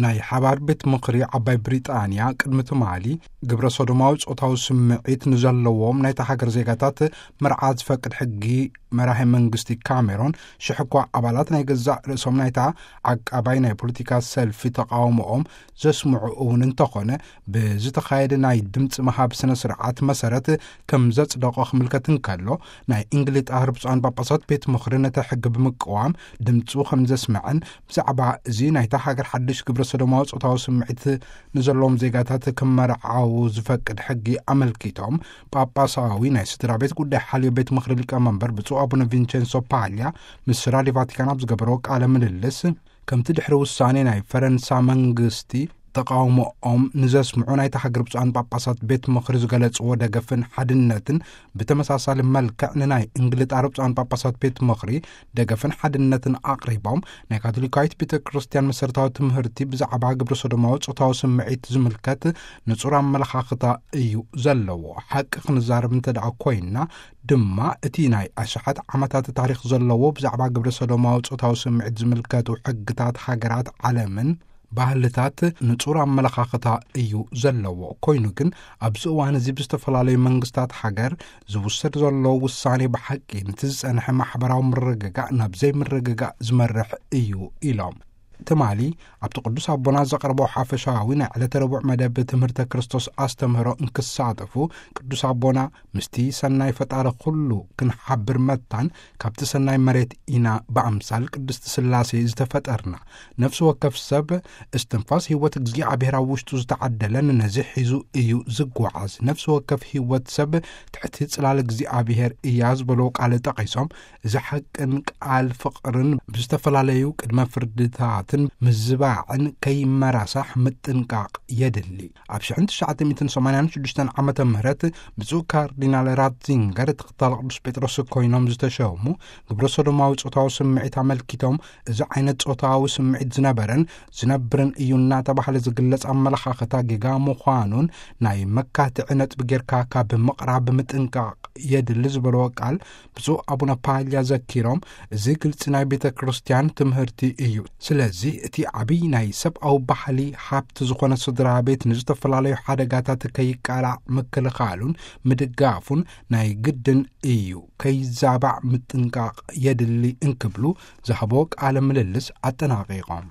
ናይ ሓባር ቤት ምኽሪ ዓባይ ብሪጣንያ ቅድሚ ትማሊ ግብረ ሶዶማዊ ጾታዊ ስምዒት ንዘለዎም ናይታ ሃገር ዜጋታት መርዓ ዝፈቅድ ሕጊ መራሒ መንግስቲ ካሜሮን ሽሕ እኳ ኣባላት ናይ ገዛእ ርእሶም ናይታ ዓቃባይ ናይ ፖለቲካ ሰልፊ ተቃውሞኦም ዘስምዑ እውን እንተኾነ፣ ብዝተኻየደ ናይ ድምፂ ምሃብ ስነ ስርዓት መሰረት ከም ዘጽደቆ ክምልከት እንከሎ፣ ናይ እንግሊጣ ብፁዓን ጳጳሳት ቤት ምኽሪ ነቲ ሕጊ ብምቅዋም ድምፁ ከም ዘስምዐን ብዛዕባ እዚ ናይታ ሃገር ሓድሽ ግብረ ሰዶማዊ ጾታዊ ስምዒት ንዘለዎም ዜጋታት ክመርዓው ዝፈቅድ ሕጊ ኣመልኪቶም ጳጳሳዊ ናይ ስድራ ቤት ጉዳይ ሓልዮ ቤት ምኽሪ ሊቀመንበር ብፁዕ ኣቡነ ቪንቸንሶ ፓልያ ምስ ራድዮ ቫቲካን ኣብ ዝገበረዎ ቃለ ምልልስ፣ ከምቲ ድሕሪ ውሳኔ ናይ ፈረንሳ መንግስቲ ተቃውሞኦም ንዘስምዑ ናይታ ሃገር ብፁዓን ጳጳሳት ቤት ምኽሪ ዝገለጽዎ ደገፍን ሓድነትን፣ ብተመሳሳሊ መልክዕ ንናይ እንግሊጣ ብፁዓን ጳጳሳት ቤት ምኽሪ ደገፍን ሓድነትን ኣቕሪቦም፣ ናይ ካቶሊካዊት ቤተ ክርስቲያን መሰረታዊ ትምህርቲ ብዛዕባ ግብረ ሰዶማዊ ጾታዊ ስምዒት ዝምልከት ንጹር ኣመለኻኽታ እዩ ዘለዎ። ሓቂ ክንዛረብ እንተ ደኣ ኮይንና ድማ፣ እቲ ናይ ኣሽሓት ዓመታት ታሪኽ ዘለዎ ብዛዕባ ግብረ ሰዶማዊ ጾታዊ ስምዒት ዝምልከቱ ሕግታት ሃገራት ዓለምን ባህልታት ንጹር ኣመለኻኽታ እዩ ዘለዎ። ኮይኑ ግን፣ ኣብዚ እዋን እዚ ብዝተፈላለዩ መንግስታት ሃገር ዝውሰድ ዘሎ ውሳኔ ብሓቂ ነቲ ዝጸንሐ ማሕበራዊ ምርግጋእ ናብ ዘይምርግጋእ ዝመርሕ እዩ ኢሎም። ትማሊ ኣብቲ ቅዱስ ኣቦና ዘቕረቦ ሓፈሻዊ ናይ ዕለተ ረቡዕ መደብ ትምህርተ ክርስቶስ ኣስተምህሮ እንክሳተፉ፣ ቅዱስ ኣቦና ምስቲ ሰናይ ፈጣሪ ኩሉ ክንሓብር መታን፣ ካብቲ ሰናይ መሬት ኢና ብኣምሳል ቅድስቲ ስላሴ ዝተፈጠርና። ነፍሲ ወከፍ ሰብ እስትንፋስ ህይወት እግዚኣብሔር ኣብ ውሽጡ ዝተዓደለን ነዚ ሒዙ እዩ ዝጓዓዝ። ነፍሲ ወከፍ ህይወት ሰብ ትሕቲ ጽላል እግዚኣብሔር እያ ዝበሎ ቃል ጠቒሶም፣ እዚ ሓቅን ቃል ፍቕርን ብዝተፈላለዩ ቅድመ ፍርድታትን ምዝባዕን ከይመራሳሕ ምጥንቃቕ የድሊ። ኣብ ሽሕን ትሽዓተ ሚእትን ሰማንያን ሽዱሽተን ዓመተ ምህረት ብፁዕ ካርዲናል ራትዚንገር ተኸታሊ ቅዱስ ጴጥሮስ ኮይኖም ዝተሸሙ፣ ግብረ ሶዶማዊ ጾታዊ ስምዒት ኣመልኪቶም፣ እዚ ዓይነት ጾታዊ ስምዒት ዝነበረን ዝነብርን እዩ እናተባህለ ዝግለጽ ኣመለኻኽታ ጌጋ ምዃኑን፣ ናይ መካትዒ ነጥቢ ጌርካ ካብ ምቕራብ ምጥንቃቕ የድሊ ዝበልዎ ቃል ብፁዕ ኣቡነ ፓልያ ዘኪሮም፣ እዚ ግልጺ ናይ ቤተ ክርስቲያን ትምህርቲ እዩ። ስለዚ እቲ ዓብይ ናይ ሰብኣዊ ባህሊ ሃብቲ ዝኾነ ስድራ ቤት ንዝተፈላለዩ ሓደጋታት ከይቃላዕ ምክልኻሉን ምድጋፉን ናይ ግድን እዩ። ከይዛባዕ ምጥንቃቕ የድሊ እንክብሉ ዝሃቦ ቃለ ምልልስ ኣጠናቒቖም።